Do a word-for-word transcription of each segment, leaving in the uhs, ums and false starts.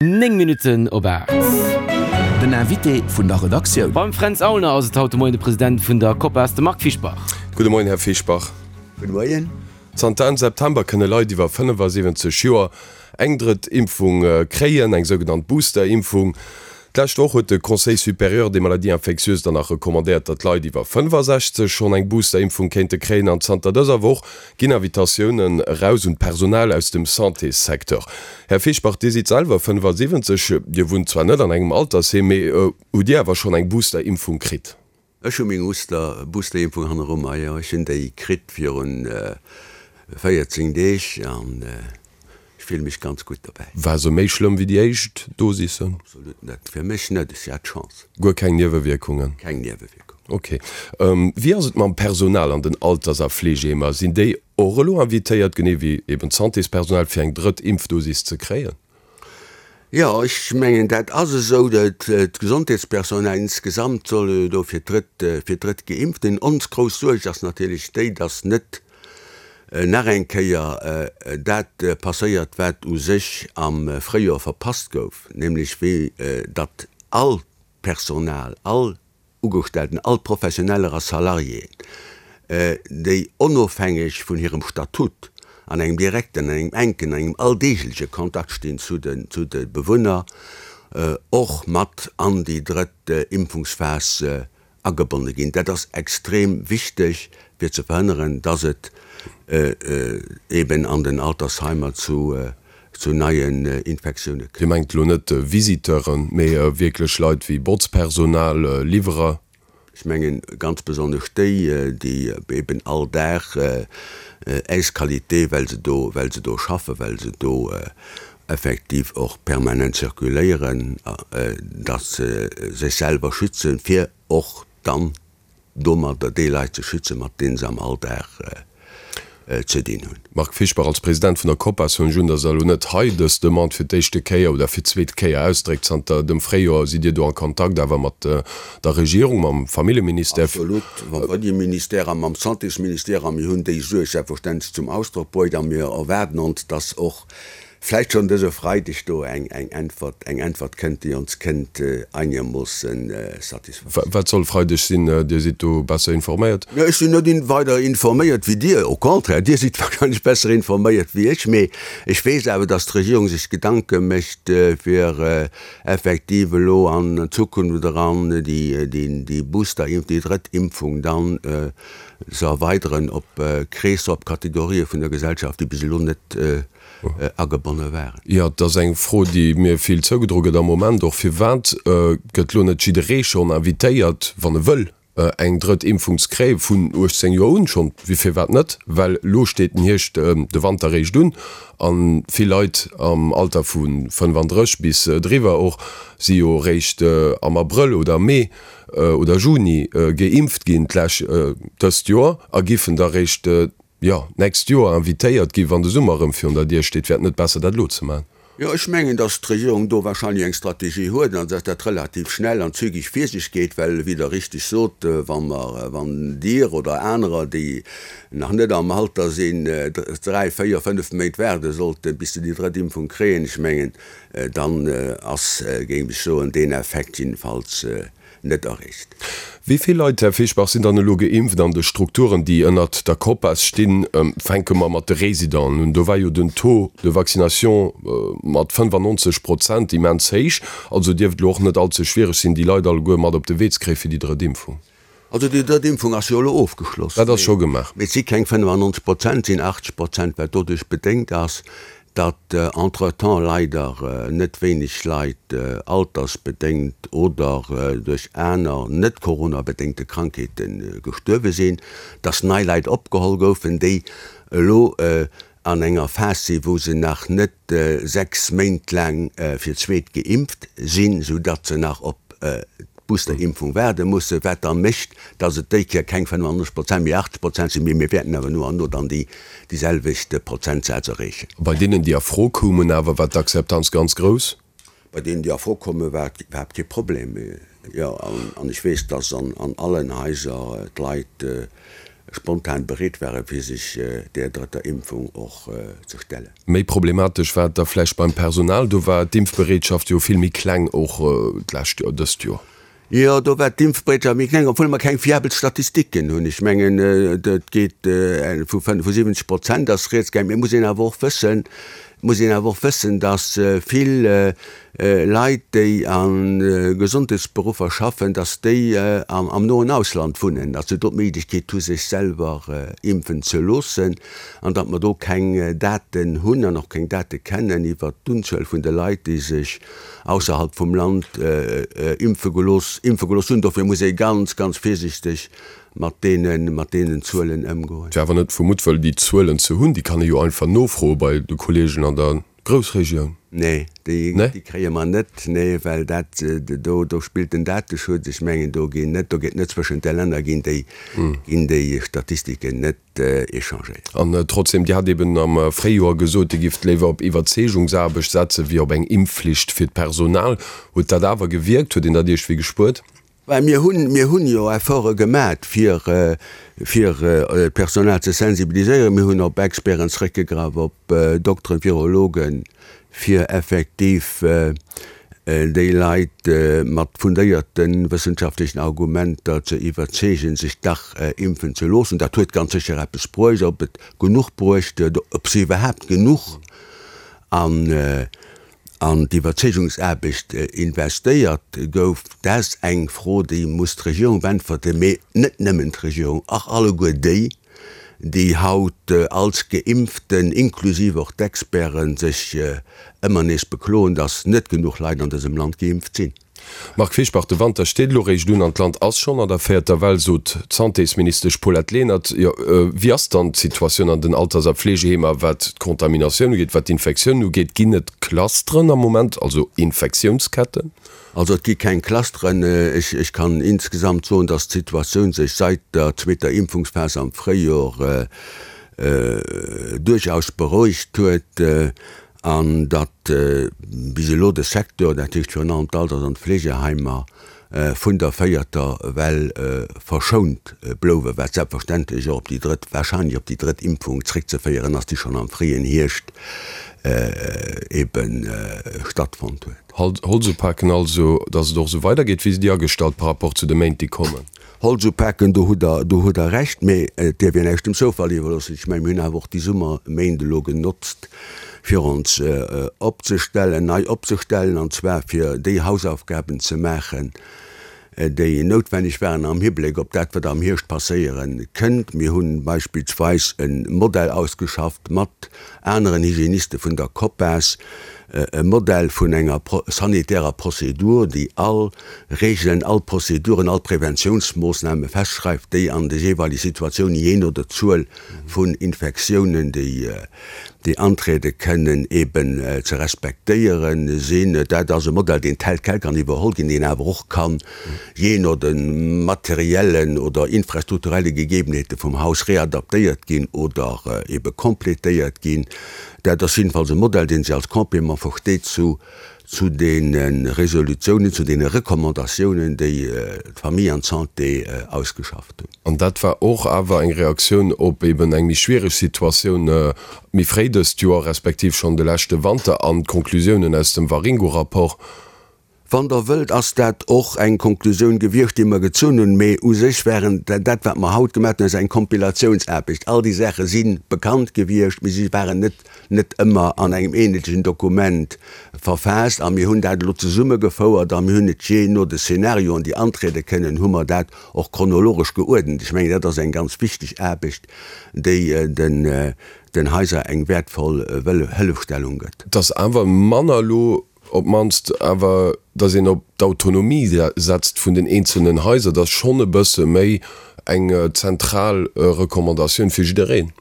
Néng Minutten op aacht. Den Invité vun der Redaktioun. Beim Fränz Aulner ass et haut de Moien de President vun der Copas, de Marc Fischbach. Gudde Moien, Här Fischbach. Gudde Moien. Zanter Enn September kënne Leit iwwer fënnefasiwwenzeg Joer eng drëtt Impfung kréien, eng sougenannt Booster-Impfung. D'lescht Woch huet de Conseil supérieur des maladies infectieuses dann nach recommandéiert, datt Leit iwwer fënnefasechzeg schonn eng Booster-Impfung kéinte kréien. An zanter dëser Woch ginn Invitatiounen eraus un d'Personal aus dem Santéssecteur. Här Fischbach, Dir sidd selwer fënnefasiwwenzeg, Dir wunnt zwar net an engem Altersheem, mee hutt Dir awer schonn eng Booster-Impfung kritt? Ech hu meng Booster-Impfung hanneru mer, jo. Ech hunn déi kritt virun véierzéng Deeg an ech fille mech ganz gutt dobäi. War se méi schlëmm wéi déi éischt Dosis? Absolut net. Fir mech net. Ech hat Chance. Guer keng Niewewierkungen? Keng Niewewierkungen. Ok. Wéi ass et mam Personal an den Alters a Fleegeheemer? Sinn déi och elo invitéiert, genee wéi eben d'Santéspersonal, fir eng drëtt Impfdosis ze kréien? Jo, ech mengen, dat ass esou. D'Gesondheetspersonal insgesamt soll jo do fir d'drëtt, fir d'drëtt geimpft ginn. Ons grouss Suerg ass natierlech déi, dass net nach eng Kéier dat passéiert, wat u sech am Fréijoer verpasst gouf, nämlech wéi datt all d'Personal, all Ugestellten, all Professioneller a Salariéen, déi onofhängeg vun hirem Statut an engem direkten, an engem enken, an engem alldeegleche Kontakt stinn zu de Bewunner, och mat an déi drëtt Impfungsphas agebonne ginn. Dat ass extrem wichteg, fir ze verhënneren, dass et eben an den Altersheimer zu neien Infektioune kënnt. Dir mengt elo net Visiteuren, mee wierklech Leit wéi Botzpersonal, Liwwerer? Ech mengen ganz besonnesch déi, déi eben all Dag äis Qualité, well se do, well se do schaffen, well se do effektiv och permanent zirkuléieren, dass se sech selwer schützen, fir och dann domadder déi Leit ze schützen, mat deene se am Alldag ze dinn hunn. Marc Fischbach, Als President vun der Copas hunn ech un, datt Der elo net hei dës Demande fir d'éischte Kéier oder fir d'zweet Kéier ausdréckt. Zanter dem Fréijoer sidd Dir do a Kontakt awer mat der Regierung, mam Familljeministère. Absolut, mam Familljeministère a mam Santésministère. A mir hunn déi Suerg selbstverständlech zum Ausdrock bruecht a mir erwaarden ons, datt och vläicht schonn dëse Freideg do eng Äntwert, eng Äntwert kënnt, déi ons kënnt einermoossen satisfaire. Wat soll Freideg sinn? Dir sidd do besser informéiert. Ech sinn net weider informéiert wéi Dir, au contraire, Dir sidd wahrscheinlech besser informéiert wéi ech. Mee ech weess awer, datt d'Regierung sech Gedanke mécht, fir effektiv elo an Zukunft eran déi Booster-Impf, déi drëtt Impfung dann ze erweideren op Kreesser, op Kategorië vun der Gesellschaft, déi bis elo net agebonne waren. Jo, et ass eng Fro, déi mir vill zougedroe gëtt am Moment och. Firwat gëtt elo net jidderee schonn invitéiert, wann e wëll, eng drëtt Impfung ze kréien, vun uechtzéng Joer un schonn? Firwat net? Well elo steet den Hierscht, de Wanter réischt un a vill Leit am Alter vu fënnefandrësseg bis driwwer och si jo réischt am Abrëll oder Mee oder Juni geimpft ginn d'lech dëst Joer a giffen da réischt jo, d'nächst Joer invitéiert ginn, wann de Summer erëm virun der Dier steet, wär et net besser, dat elo ze maachen? Jo, ech mengen, datt d'Regierung do wahrscheinlech eng Strategie huet an datt dat relativ schnell an zügig vir sech geet, well, wéi Der richtig sot, wa mer, wann Dir oder anerer, déi nach net am Alter sinn, dräi, véier, fënnef Méint waarde sollten, bis se déi drëtt Impfung kréien, ech mengen, dann ass, géif ech soen, deen Effekt jiddefalls net erreecht. Wéi vill Leit, Här Fischbach, sinn dann elo geimpft an de Strukturen, déi ënnert der Copas stinn? Fänke mer mat de Residenten un. Do war jo den Taux de vaccination mat fënnefannonzeg Prozent immens héich. Also dierft elo och net allze schwiereg sinn, déi Leit alleguer mat op de Wee ze kréien fir déi drëtt Impfung. Also déi drëtt Impfung ass jo elo ofgeschloss. Dat ass scho gemaach. Mee et si keng fënnefannonzeg Prozent, et sinn achtzeg Prozent, wat doduerch bedéngt ass, datt entretemps leider net wéineg Leit altersbedéngt oder duerch aner net coronabedéngte Krankheete gestuerwe sinn, datt nei Leit opgeholl goufen, déi elo an enger Phas sinn, wou se nach net sechs Méint laang fir d'zweet geimpft sinn, soudatt se nach op d'Boosterimpfung waarde mussen, wat da mécht, dass et déi Kéier keng fënnefannonzeg Prozent, mee achtzeg Prozent sinn, mee mir wäerten awer no an no dann déi selwecht Prozentsaz erreechen. Bei deenen, déi a Fro koumen awer, war d'Akzeptanz ganz grouss. Bei deenen, déi a Fro kommen, war et iwwerhaapt kee Problem. Jo, an ech weess, dass an allen Haiser d'Leit spontan bereet ware fir sech där drëtter Impfung och ze stellen. Méi problematesch war et da vläicht beim Personal, do war d'Impfbereetschaft jo vill méi kleng och d'lescht Joer, dëst Joer. Jo, do war d'Impfbereetschaft méi kleng, obwuel mer keng fiabel Statistiken hunn. Ech mengen, et geet vu fënnefundsiwwenzeg Prozent ass rieds gaang. Mee et muss een awer och wëssen, et muss een awer och wëssen, datt vill Leit, déi a Gesondheetsberuffer schaffen, datt déi am noen Ausland wunnen, datt se do d'Méiglechkeet hu sech selwer impfen ze loossen an datt mer do keng Daten hunn an och keng Date kennen iwwert d'Unzuel vun de Leit, déi sech ausserhalb vum Land impfe gelooss impfe gelooss hunn. Dofir muss ee ganz, ganz virsichteg mat deene mat deenen Zuelen ëmgoen. Et wär awer net vu Muttwëll déi Zuelen ze hunn. Déi kann ee jo einfach nofroe bei de Kolleegen an der Groussregioun. Nee, déi déi kréie mer net. Nee, well dat do do spillt den Dateschutz. Ech mengen, do ginn net do geet net zwëschent de Länner ginn déi ginn déi Statistiken net échangéiert. An trotzdem, Dir hat eben am Fréijoer gesot, Dir gifft léiwer op Iwwerzeegungsaarbecht setze wéi op eng Impfflicht fir d'Personal. Huet dat awer gewierkt? Huet een dat iergendwéi gespuert? Well mir hunn, mir hunn jo Efforte gemat, fir, fir d'Personal ze sensibiliséieren. Mir hunn op Experten zréckgegraff, op Dokteren, Virologen, fir effektiv déi Leit mat fundéierte wëssenschaftlechen Argumenter ze iwwerzeegen, sech dach impfen ze loossen. Dat huet ganz sécher eppes bruecht. Ob et genuch bruecht huet, ob se iwwerhaapt genuch an an d'Iwwerzeegungsaarbecht investéiert gouf, dat ass eng Fro, déi muss d'Regierung beäntwerten, mee net nëmmen d'Regierung, och alleguer déi, déi haut als Geimpften, inklusiv och d'Experten, sech ëmmer nees bekloen, datt net genuch Leit an dësem Land geimpft sinn. Marc Fischbach, De Wanter steet elo réischt un an d'Land ass schonn an der véierter Well, sot d'Santésministesch Paulette Lenert. Jo, wéi ass dann d'Situatioun an den Alters a Fleegeheemer, wat d'Contaminatioun ugeet, wat d'Infektioun ugeet? Ginn et Clusteren am Moment, also Infektiounsketten? Also et gi keng Clusteren. Ech kann insgesamt soen, datt d'Situatioun sech seit der zweeter Impfungsphas am Fréijoer duerchaus berouegt huet an datt bis elo de Secteur, dat heescht virun allem d'Alters an d'Fleegeheimer, vun der véierter Well verschount blouwen, wat selbstverständlech och op déi drëtt, wahrscheinlech op déi drëtt Impfung zréckzeféieren ass, déi schonn am fréien Hierscht ebe stattfonnt huet. Holz upaken also, datt et och esou weidergeet? Wéi sidd Dir agestallt par rapport zu de Méint, déi kommen? Holz upaken, do hutt Der, do hutt Der Recht, mee et dierf een näischt dem Zoufall iwwerloossen. Ech mengen, mir hunn awer och déi Summerméint elo genotzt, fir ons opzestellen, nei opzestellen, an zwar fir déi Hausaufgaben ze maachen, déi noutwenneg waren am Hibléck op dat, wat am Hierscht passéiere kënnt. Mir hu beispillsweis e Modell ausgeschafft mat aneren Hygieniste vun der COPAS, e Modell vun enger sanitärer Prozedur, déi all Regeln, all Prozeduren, all Preventiounsmoossname festschreift, déi an de jeeweilige Situatiounen, jee no der Zuel vun Infektiounen, déi déi antriede kënnen, eben ze respektéiere sinn. Dat ass e Modell, deen tel quel kann iwwerholl ginn, deen awer och kann, jee no de materiellen oder infrastrukturelle Gegebenheete vum Haus readaptéiert ginn oder ebe complétéiert ginn. Dat ass jiddefalls e Modell, dee sech als Complément versteet zu zu deene Resolutiounen, zu deene Recommandatiounen, déi d'Famille an d'Santé ausgeschafft hunn. An dat war och awer eng Reaktioun op eben eng méi schwiereg Situatioun méi fréi dëst Joer, respektiv schonn de leschte Wanter an d'Konklusiounen aus dem Waringo-Rapport. Wann Der wëllt, ass dat och eng Konklusioun gewiescht, déi mer gezunn hunn. Mee u sech waren dat, wat mer haut gemaach hunn, ass eng Kompilatiounsaarbecht. All déi Saache si bekannt gewiescht, mee si waren net net ëmmer an engem eenheetlechen Dokument verfaasst. A mir hunn dat elo zesummegefouert a mir hunn et jee no de Szenarioen, déi antriede kënnen, hu mer dat och chronologesch geuerdent. Ech mengen, dat ass eng ganz wichteg Aarbecht, déi den den Haiser eng wäertvoll Hëllefstellung gëtt. Et ass awer manner elo op d'mannst awer, datt een op d'Autonomie setzt vun den eenzelnen Haiser, dat ass schonn e bësse méi eng zentral Recommandatioun fir jiddereen.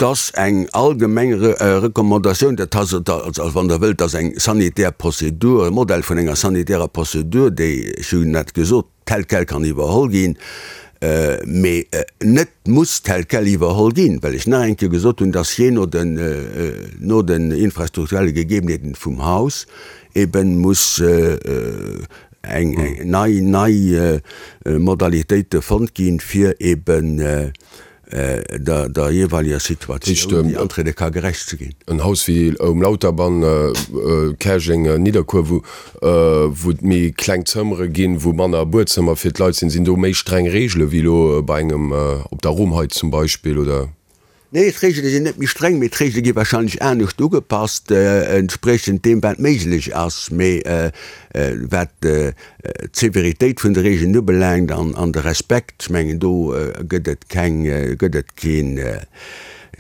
Et ass eng allgemeng Recommandatioun, dat ass, also wann Der wëllt, dat ass eng sanitär Prozedur, e Modell vun enger sanitärer Prozedur, déi, ech hunn dat gesot, tel quel kann iwwerholl ginn, mee net muss tel quel iwwerholl ginn, well ech nach eng Kéier gesot hunn, dass jee no den, no den infrastrukturelle Gegebenheeten vum Haus eben muss eng nei nei Modalitéite fonnt ginn, fir eben der der jeeweileger Situatioun, déi antriede ka, gerecht ze ginn. En Haus wéi um Lauterbann, Käerjeng, Nidderkuer, wou wou et méi kleng Zëmmere ginn, wou manner Buedzëmmer fir d'Leit sinn, sinn do méi streng Reegele wéi elo bei engem op der Romheit zum Beispill, oder? Nee, d'Reegele sinn net méi streng, mee d'Reegele gi warscheinlech anescht ugepasst, entspriechend deem, wat méiglech ass. Mee wat d'Severitéit vun de Reegelen ubelaangt an de Respekt, ech mengen, do gëtt et keng, gëtt et keen,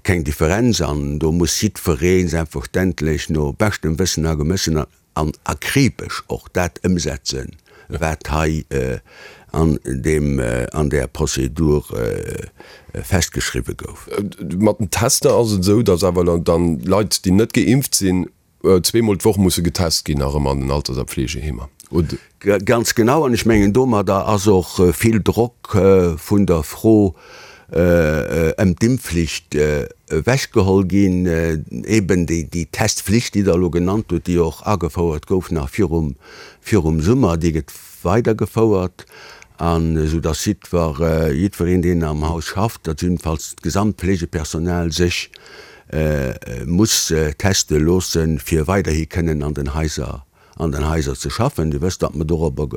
keng Differenz an do muss jiddweree selbstverständlech no beschtem Wëssen a Gemëssen an akribesch och dat ëmsetzen, wat hei an deem, an där Prozedur festgeschriwwe gouf. Mat den Tester ass et esou, datt awer dann Leit, déi net geimpft sinn, zweemol d'Woch musse getest ginn, nach ëmmer an den Alters a Pflegeheemer, oder? Ganz genau. An ech mengen, domadder ass och vill Drock vun der Fro ëm d'Impfflicht ewechgeholl ginn. Eben déi Testflicht, déi Der elo genannt hutt, déi och agefouert gouf nach virum, virum Summer, déi gëtt weidergefouert, an esou datt jiddwer, jiddwereen, deen am Haus schafft, dat jiddefalls d'gesamt Fleegepersonal, sech muss teste loossen, fir weiderhi kënnen an den Haiser an den Haiser ze schaffen. Dir wësst, datt mer dorobber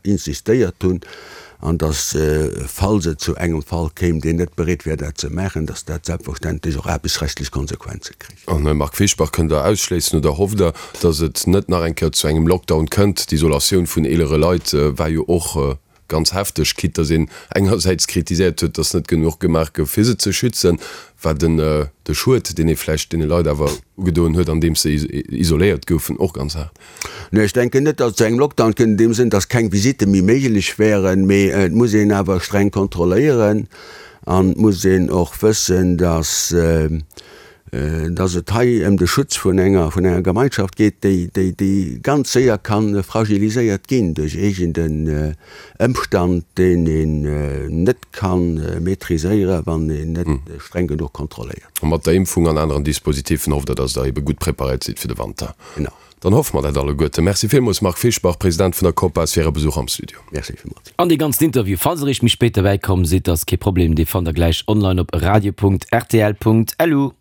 insistéiert hunn an datt, falls et zu engem Fall kéim, deen net bereet wär, dat ze maachen, datt dat selbstverständlech och aarbechtsrechtlech Konsequenze kritt. An, Här Marc Fischbach, kënnt Der ausschléissen oder hofft Der, datt et net nach eng Kéier zu engem Lockdown kënnt? D'Isolatioun vun eelere Leit war jo och ganz hefteg, quitte datt een engersäits kritiséiert huet, datt net genuch gemaach gouf, fir se ze schützen, war den de Schued, deen ee vläicht deene Leit awer ugedoen huet, andeems se isoléiert goufen, och ganz haart. Nee, ech denken net, datt et zu engem Lockdown kënnt an deem Sënn, datt keng Visitte méi méiglech wären, mee et muss een awer streng kontrolléieren an et muss een och wëssen, datt datt et hei ëm de Schutz vun enger, vun enger Gemeinschaft geet, déi, déi, déi ganz séier ka fragiliséiert ginn duerch iergend en Ëmstand, deen een net ka maîtriséieren, wann een net streng genuch kontrolléiert. A mat der Impfung an aneren Dispositifen hofft Der, datt Der ebe gutt preparéiert sidd fir de Wanter. Genau. Dann hoffe mer dat alleguerten. Merci villmools, Marc Fischbach, President vun der COPAS, fir Äre Besuch am Studio. Merci villmools. An dee ganzen Interview, falls Der eréischt méi spéit derbäi komm sidd, ass kee Problem, dee fannt Der gläich online op radio.rtl.lu.